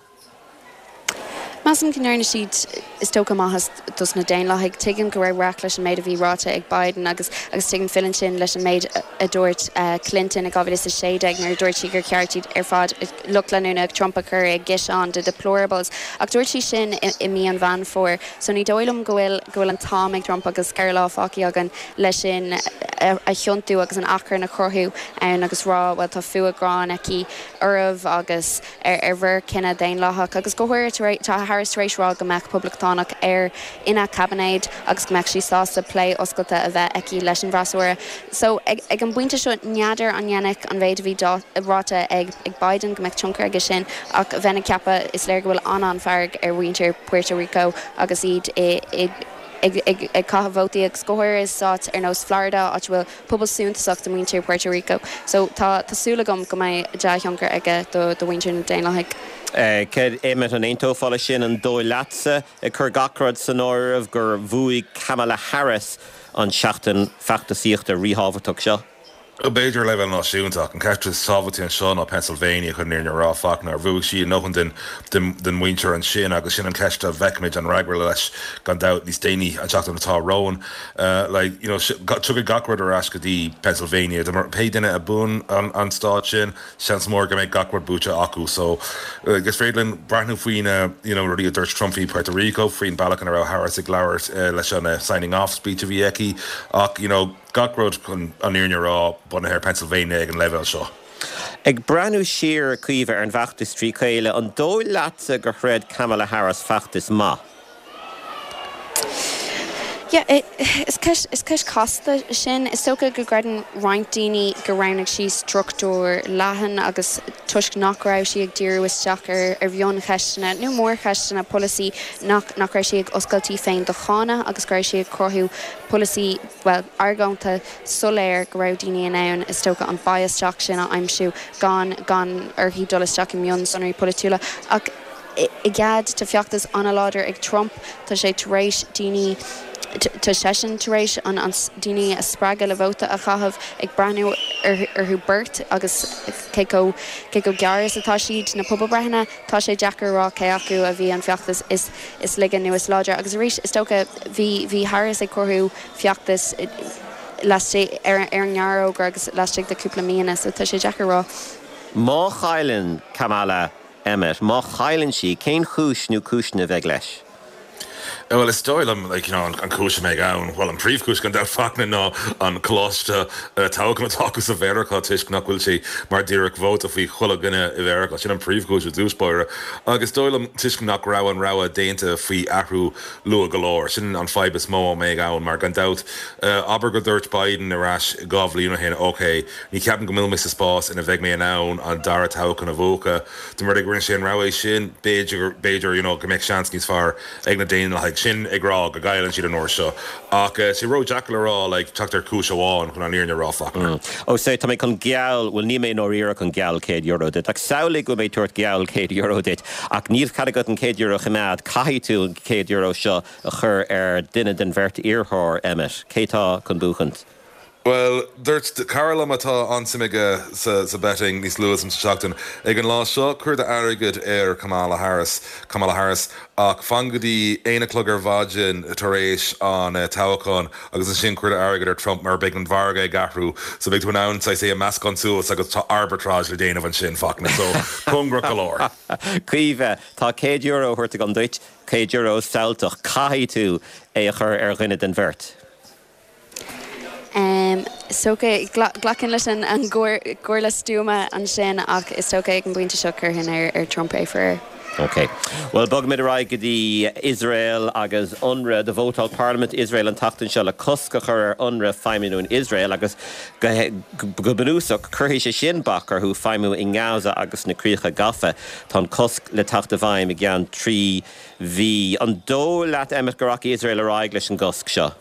Measaim go ndearna siad, is dócha, maitheas dos na Daonlathaigh. Tuigim go raibh raic leis an méid a bhí ráite ag Biden agus agus tuigim filleann sin leis an méid a dúirt Clinton i 2016 nuair a dúirt sí gur cheart iad ar fad, lucht leanúna Trump a chur i gciseán de deplorables. Ach dúirt sí sin i mí an Mheán Fómhair so ní dóigh liom go bhfuil go bhfuil an t-am ag Trump agus 4 lá fágtha againn leis sin a thiontú agus an achrann a chruthú ann agus rá bhuel tá fuath gráin aici oraibh agus ar bhur cine daonlathach agus go háirithe tá Harris tar éis rá go mbeadh poblachtánach ar ina caibinéad agus go mbeadh sí sásta plé oscailte a bheith aici leis an bhfreasúra. So ag an bpointe seo n'fheadar an ndéanfadh an mhéid a bhí ráite ag Biden go mbeadh tionchar aige sin ach bheinn ag ceapadh is léir go bhfuil an-an-fhearg ar mhuintir Puerto Rico agus iad i ag caitheamh vótaí agus go háirithe i stáit ar nós Florida, áit a bhfuil pobal suntasach de mhuintir Puerto Rico. So tá súil agam go mbeidh dea-thionchar aige do mhuintir na Daonlathaigh. Céard, Emmet, an aontófá leis sin? An dóigh leatsa, ag cur gach rud san áireamh, gur bhuaigh Kamala Harris an tseachtain feachtasaíochta ríthábhachtach seo? B'fhéidir ar leibhéal náisiúnta, ach an ceist is tábhachtaí anseo ná Pennsylvania, chun an fhírinne a rá, Fachtna, ar bhuaigh sí a ndóthain den den mhuintir ansin agus sin an cheist a bhfeicfimid an fhreagra leis gan dabht níos déanaí an tseachtain atá romhainn. Like, you know, tiocfaidh gach rud ar ais go dtí Pennsylvania. Pé duine a bhuann an stát sin, seans mór go mbeidh gach rud buaite acu. So, like, is féidir linn breathnú faoi na, you know, rudaí a dúirt Trump faoi Puerto Rico, faoin bealach ina raibh Harris ag labhairt leis an signing off speech a bhí aici ach, you know, Gach rud, chun an fhírinne a rá, bunaithe ar Pennsylvania ag an leibhéal seo. Ag breathnú siar, a Chaoimhe, ar an bhfeachtas trí chéile, an dóigh leatsa gur throid Kamala Harris feachtas maith? Yeah, is ceist, is ceist chasta sin. Is dócha go gcreideann roinnt daoine gur roghnaigh sí struchtúr leathan agus toisc nach raibh sí ag díriú isteach ar ar mhioncheisteanna nó mórcheisteanna polasaí nach nach raibh sí ag oscailt í féin do cháineadh agus go raibh sí ag cruthú polasaí, bhuel, argóinta soiléir go raibh daoine in ann, is dócha, an bias isteach sin a aimsiú gan, gan uirthi dul isteach i mionsonraí polaitiúla. Ach i gcead, tá feachtas an-láidir ag Trump, tá sé tar éis daoine, tá seisean tar éis an, an, daoine a spreagadh le vóta a chaitheamh, ag breathnú orthu beirt agus cé chomh, cé chomh gearr is atá siad, na pobalbreitheanna, tá sé deacair a rá cé acu a bhí an feachtas is. is laige nó is láidre. Agus arís, is dócha, bhí, bhí Harris ag cruthú feachtas laistigh, ar, ar an ngearrfhógra agus laistigh de cúpla míonna, so tá sé deacair a rá. Má chailleann Kamala, Emmet, má chailleann sí, cén chúis nó cúiseanna a bheidh leis? Bhuel, is dóigh liom, like, you know, an chúis a mbeidh ann, bhuel, an príomhchúis gan dabht, Fachtna, ná an coláiste toghcháin atá acu sa Mheiriceá toisc nach bhfuil sé mar díreach vóta faoi chuile dhuine i Mheiriceá. Sin an príomhchúis i dtús báire. Agus is dóigh liom, toisc nach raibh an rogha déanta faoi athrú luath go leor, sin an fadhb is mó a mbeidh ann, mar gan dabht, abair go dúirt Biden ar ais 2 bhliain ó shin, ok, ní cheapaim go bhfuil mé sa spás ina bheidh mé in ann an dara toghchán a bhuachan, dá mba rud é go rinne sé an rogha sin, b'fhéidir, b'fhéidir, you know, go mbeadh seans níos fearr ag na Daonlathaigh. Sin ag rá go gcailleann siad an uair seo. Ach tá sé ró-deacair le rá, like, teacht ar chúis amháin chun an fhírinne a rá, Fachtna. Ó sea, tá mé chun geall, bhuel níl mé i ndáiríre chun geall €100 duit, ach samhlaigh go bhfuil mé ag tabhairt geall €100 duit, ach níl cead agat an €100 a choimeád, caithfidh tú an €100 seo a chur ar duine den bheirt iarrthóir, Emmet. Cé tá chun buachaint? Bhuel, dúirt cara liom atá an-suim aige sa betting níos luaithe sa tseachtain, ag an lá seo, cuir d'airgead ar Kamala Harris, Kamala Harris, ach fan go dtí aon a chlog ar mhaidin tar éis an toghcháin agus ansin cuir d'airgead ar Trump mar beidh an mhargadh ag athrú so beidh tú in ann saghas é a meascán suas agus tá arbitrage le déanamh ansin, Fachtna, so cóngarach go leor. Caoimhe, tá €100 á thabhairt agam duit, €100 samhaltach, caithfidh tú é a chur ar dhuine den bheirt. Is dócha, glacfainn leis an gcomhairle stuama ansin ach is dócha ag an bpointe seo chuirfinn ar Trump é, faraor. Ok. Bhuel, bogfaimid ar aghaidh go dtí Iosrael agus Unrwa. Do vótáil Parlaimint Iosrael an tseachtain seo le cosc a chur ar Unrwa feidhmiú in Iosrael agus go bunúsach cuirfidh sé sin bac orthu feidhmiú i nGaza agus sna Críocha Gafa. Tá an cosc le teacht i bhfeidhm i gceann 3 mhí. An dóigh leat, Emmet, go rachaidh Iosrael ar aghaidh leis an gcosc seo?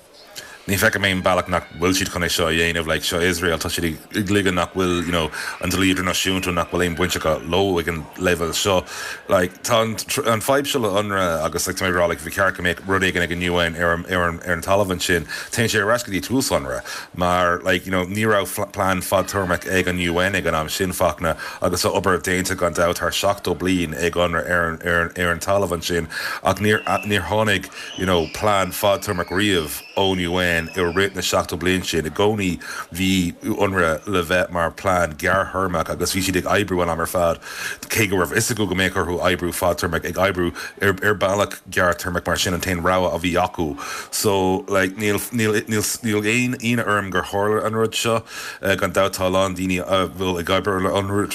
Ní feicim aon bealach nach bhfuil siad chun é seo a dhéanamh. Like, seo Iosrael, tá siad ag ligean nach bhfuil, you know, an dlí idirnáisiúnta, nach bhfuil aon baint acu leo ag an leibhéal seo. Like, tá an, an fadhb seo le Unrwa agus, like, tá mé ag rá, like, bhí ceart go mbeadh rud éigin ag an UN ar an, ar an, ar an talamh ansin. Téann sé ar ais go dtí tús Unrwa mar, like, you know, ní raibh plean fadtéarmach ag an UN ag an am sin, Fachtna, agus tá obair déanta gan dabht thar 70 bliain ag Unrwa ar an, ar an, ar an talamh ansin ach níor, níor tháinig, you know plean fadtéarmach riamh ón UN i rith na 70 bliain sin. I gcónaí bhí Unrwa le bheith mar plean gearrthéarmach agus bhí siad ag oibriú an am ar fad, cé go raibh fhios acu go mbeadh orthu oibriú fadtéarmach, ag oibriú ar ar bealach gearrthéarmach mar sin an t-aon rogha a bhí acu. So like níl níl níl níl aon ionadh orm gur tharla an rud seo. Gan dabht tá a lán daoine a bhfuil ag obair le Unrwa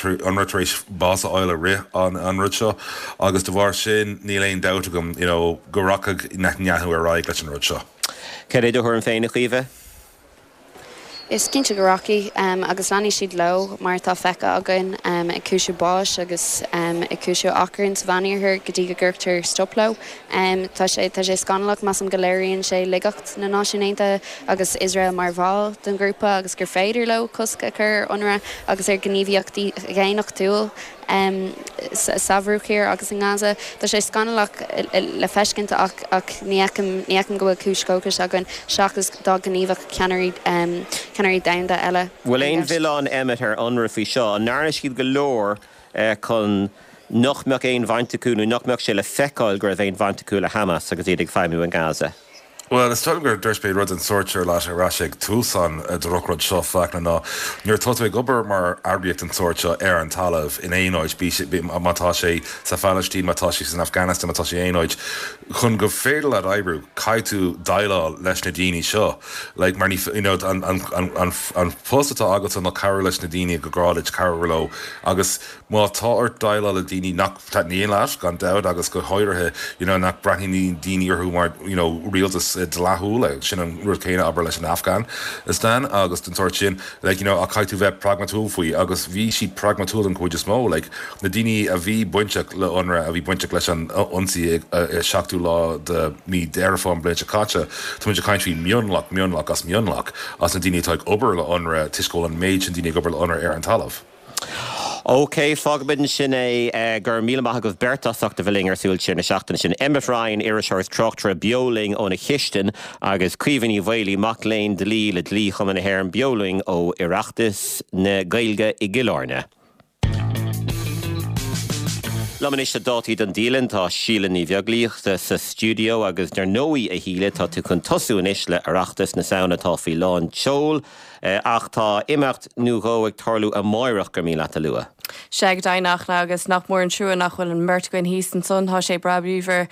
tar éis bás a fháil i rith an an rud seo agus de bharr sin níl aon dabht agam you know go rachaidh Netanyahu ar aghaidh leis an rud seo. Cad é do thuairim féin, a Chaoimhe? Is cinnte go rachaidh, agus leanfaidh siad leo, mar atá feicthe againn, ag cúiseamh báis agus ag cúiseamh achrainn sa Mheánoirthear go dtí go gcuirtear stop leo. Tá sé, tá sé scannalach, measaim go léiríonn sé laigeacht na Náisiún Aontaithe agus Iosrael mar bhall den ghrúpa agus gur féidir leo cosc a chur ar Unrwa agus ar ghníomhaíochtaí dhaonnachtúil. Sa Bhruach Thiar agus i nGaza. Tá sé scannalach le feiscint ach ach ní fheicim ní fheicim go bhfuil cúis dhóchais againn seachas dá ngníomhódh ceannairí ceannairí domhanda eile Bhfuil aon mhilleán Emmet ar Unrwa faoi seo? An ndearna siad go leor chun nach mbeadh aon bhaint acu nó nach mbeadh sé le feiceáil go raibh aon bhaint acu le Hamas agus iad ag feidhmiú in Gaza? Bhuel, is dóigh liom gur dúirt mé rud den sórt seo leat ar ais ag tús an drochrud seo, Fachtna, ná nuair atá tú ag obair mar eagraíocht den sórt seo ar an talamh in aon áit, bí sé, má tá sé sa Phalaistín, má tá sé san Afghanistan, má tá sé aon áit, chun go féidir leat oibriú, caithfidh tú déileáil leis na daoine seo. Like, mar ní, you know, an, an, an, an, an post atá agatsa ná cabhrú leis na daoine gur gá duit cabhrú leo agus Má tá ort déileáil le daoine nach dtaitníonn leat, gan dabht, agus go háirithe you know nach mbreathnaíonn daoine orthu mar you know rialtas dleathúil, sin an rud céanna abair leis an Afghanistan agus den sórt sin, like you know ach caithfidh tú bheith pragmatúil faoi agus bhí siad pragmatúil den chuid is mó, like na daoine a bhí bainteach le Unrwa, a bhí bainteach leis an ionsaí ag seachtú lá de mí Deireadh Fómhair an bhliain seo caite, tá muid ag caint faoi mionlach, mionlach as mionlach as na daoine atá ag obair le Unrwa toisc go bhfuil an méid sin daoine ag obair le Unrwa ar an talamh. OK, fágfaimid ansin é. Go raibh míle maith agaibh beirt as ucht a bheith linn ar Súil Siar na seachtaine sin. Emmet Ryan, iriseoir is tráchtaire beo linn óna chistin agus Caoimhe Ní Mhaolaí, mac léinn dlí le Dlí-Chumann na hÉireann, beo linn ó Oireachtas na Gaeilge i gCill Airne. Liom anois le dátaí don dialann tá Síle Ní Bheaglaoich sa stiúideo agus dar ndóigh a Shíle tá tú chun tosú anois le Oireachtas na Samhna atá faoi lán tseoil. Ach tá imeacht nó dhó ag tarlú amáireach gur mian leat a lua. Sea, go deimhin agus nach mór an trua nach bhfuil an mbeirt againn thíos ansan, tá sé breá bríomhar.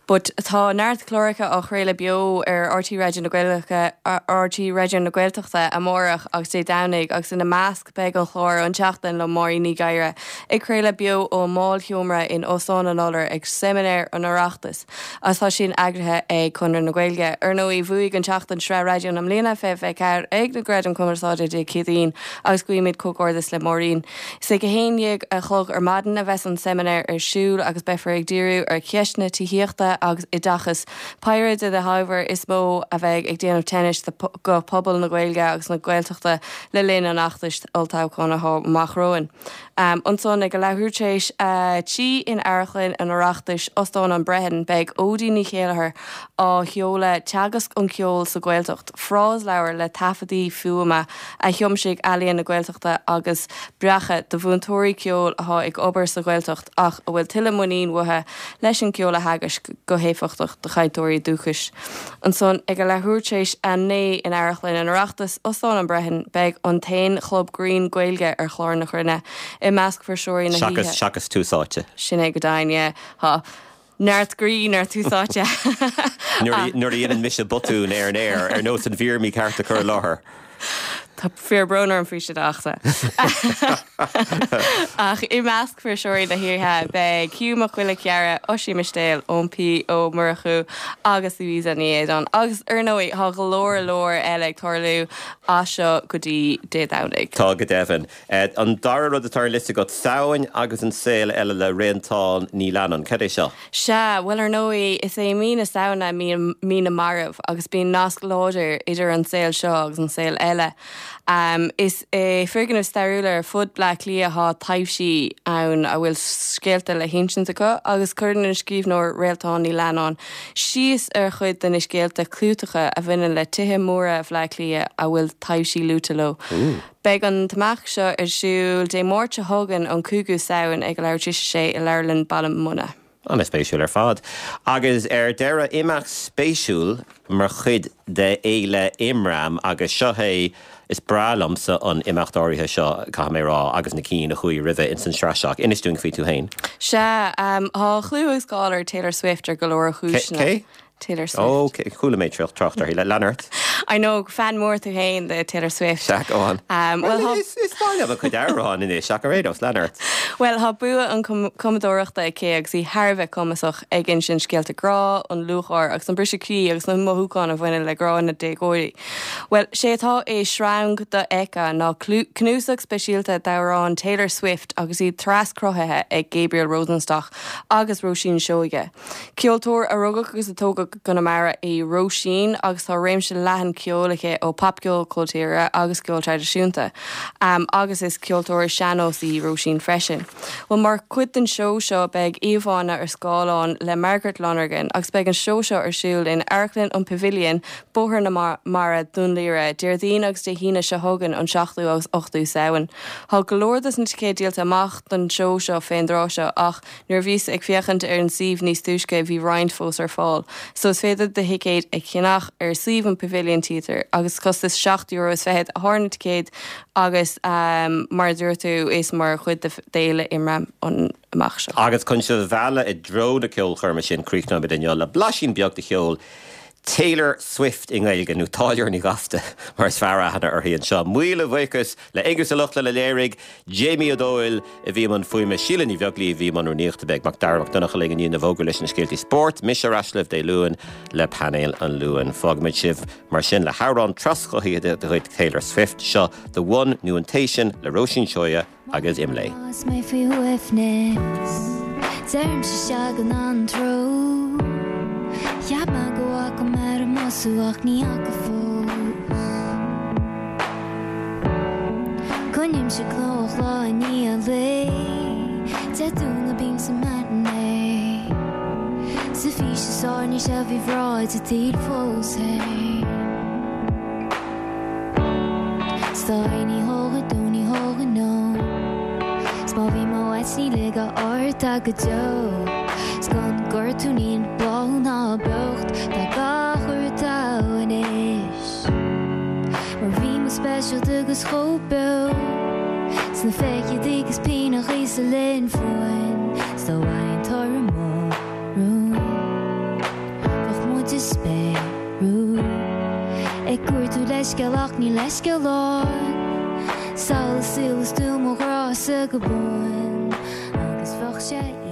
But tá neart cláracha á chraoladh beo ar RTÉ Raidió na Gaeilge, RTÉ Raidió na Gaeltachta amárach agus Dé Domhnaigh agus ina measc beidh an chlár An tSeachtain le Máirín Ní Ghadhra ag craoladh beo ón mBálsheomra in Óstán an Iolair ag Seimineár an Oireachtais. Agus tá sin eagraithe ag Conradh na Gaeilge. Ar ndóigh, bhuaigh An tSeachtain Sraith Raidió na mBliana 2024 ag na Gradaim Cumarsáide Dé Céadaoin agus guímid comhghairdeas le Máirín. Is ag 11 a chlog ar maidin a bheas an seimineár ar siúl agus beifear ag díriú ar cheisteanna tithíochta agus oideachais, péire de na hábhair is mó a bheidh ag déanamh tinnis do phobal na Gaeilge agus na Gaeltachta le linn an fheachtais olltoghcháin atá amach romhainn. Ansan ag a leathuair tar éis a 3 in Amharclann an Oireachtais, Óstán an Brehon, beidh Óidín Ní Chéilleachair á sheoladh Teagasc an Cheoil sa Ghaeltacht, frásleabhar le taifeadtaí fuaime a thiomsaigh Ealaíon na Gaeltachta agus breactha do mhúinteoirí ceoil atá ag obair sa Ghaeltacht ach a bhfuil tuilleadh muinín uathu leis an gceol a theagaisc go héifeachtach do chainteoirí dúchais. Ansan ag a leathuair tar éis a 9 in Amharclann an Oireachtais, Óstán an Brehon, beidh an t-aon chlub grinn Gaeilge ar chlár na cruinne. I measc fuirseoirí na hoíche. Seachas Tús Áite. Sin é go deimhin, yeah. Tá neart grinn ar Tús Áite. Nuair a dhéanann mise botún ar an aer, ar nós an mhír mícheart a chur i láthair. Tá fíor brón orm faoi sin a Fhachtna. Ach i measc fuirseoirí na hoíche beidh Hugh Mac Giolla Chearra, Oisín Mistéil, Eoin P Ó Murchú agus Louisa Ní Éideáin. Agus ar ndóigh tá go leor leor eile ag tarlú as seo go dtí Dé Domhnaigh. Tá go deimhin. An dara rud atá ar an liosta agat, Samhain agus an Saol Eile le Réaltán Ní Leannáin. Cad é seo? Sea, bhuel ar ndóigh, is é mí na Samhna mí na marbh agus bíonn nasc láidir idir an saol seo agus an saol eile. Is i foirgnimh stairiúla ar fud Bleá Cliath atá taibhsí ann a bhfuil scéalta le hinsint acu agus cuireann an scríbhneoir Réaltán Ní Leannáin síos ar chuid de na scéalta clúiteacha a bhaineann le tithe móra Bhleá Cliath a bhfuil taibhsí luaite leo. Beidh an t-imeacht seo ar siúl Dé Máirt seo chugainn, an 5ú Samhain, ag a leathuair tar éis a sé i Leabharlann Baile Munna. An-spéisiúil ar fad. Agus ar deireadh, imeacht spéisiúil mar chuid de Fhéile Imram agus seo é, is breá liomsa an imeacht áirithe seo, caithfidh mé a rá, agus na cinn a chuaigh roimhe ins an sraith seo. Inis dúinn faoi tú féin. Sea, tá clú agus cáil ar Taylor Swift ar go leor chúiseanna. Cé? Taylor Swift. Ok, chuala mé trácht uirthi. Lean ort. I know, fan mór tú féin de Taylor Swift. Sea, go on. Well, tá. Is maith liom a cuid amhrán anois, ach ar aon nós, lean ort. Bhuel, tá bua an cumadóireachta aici agus í thar a bheith cumasach ag insint scéalta grá, an lúcháir agus an briseadh croí agus na mothúcháin a bhaineann le grá na déagóirí. Bhuel, sé atá i Sreang Dofheicthe ná cnuasach speisialta d'amhráin Taylor Swift agus iad traschruthaithe ag Gabriel Rosenstock agus Róisín Seoige. Ceoltóir a rugadh agus a tógadh i gConamara í Róisín agus tá réimse leathan. ceoil aici ó popcheol, ceol tíre agus ceol traidisiúnta. Agus is ceoltóir sean-nós í Róisín freisin. Bhuel mar chuid den seó seo beidh íomhánna ar scáileán le Margaret Lonergan agus beidh an seó seo ar siúl in Amharclann an Pavilion, Bóthar na Mara, Dún Laoghaire, Déardaoin agus Dé hAoine seo chugainn an 7ú agus 8ú Samhain. Tá go leor dos na ticéid díolta amach don seó seo fén dtráth seo ach Nuair a bhíos ag féachaint ar an suíomh níos túisce bhí roinnt fós ar fáil, so is féidir do thicéad a cheannach ar suíomh an Pavilion Theatre agus costas seacht euro is fichead atá ar na ticéid agus mar a dúirt tú is mar chuid d'Fhéile Imram an imeacht seo. Agus chun sibh a mhealladh i dtreo na ceolchoirme sin críochnóimid inniu le blaisín beag de cheol Taylor Swift i nGaeilge, nó Táilliúir Ní Ghasta mar is fearr aithne uirthi anseo. Míle buíochas le Aengus Ó Lochlainn a léirigh, Jamie Ó Dóill a bhí i mbun fuaime, Síle Ní Bheaglaoí a bhí i mbun rúnaíochta, beidh Mac Dara Mac Donncha linn i ndiaidh na bhfógraí leis na scéaltaí spóirt. Mise ar ais libh Dé Luain le painéal an Luain. Fágfaimid sibh mar sin le hamhrán traschothaithe de chuid Taylor Swift, seo The One nó An Té Sin le Róisín Seoighe. agus Imlé. Is mé faoi shuaimhneas, deirimse sea gan anró. Cheap mé go bhfaca mé ar an mbus thú ach ní fhaca fós. Coinnímse gnóthach lá i ndiaidh lae, Dé Domhnaigh bím sa matinee. Sa bhfís is airne sé faoi bhráid an tsaoil fós féin. Stoi ní thógfaidh dó ní thógfaidh nó 'S má bhí mo áit ní ligfeadh ort ach go deo 'S gan gortú níl bláthú ná beocht Tá gach rud togha anois Mar bhí muid speisialta agus chomh beo Sna fichidí 'gus pianachaí sa linn fúinn 'S dá bhfaighinn toradh mo rún Bheadh muid ag spéiriú Ag cuartú leithscéal ach níl leithscéal ann Samhlaigh saol is tú mo ghrása go buan Agus bheadh sé.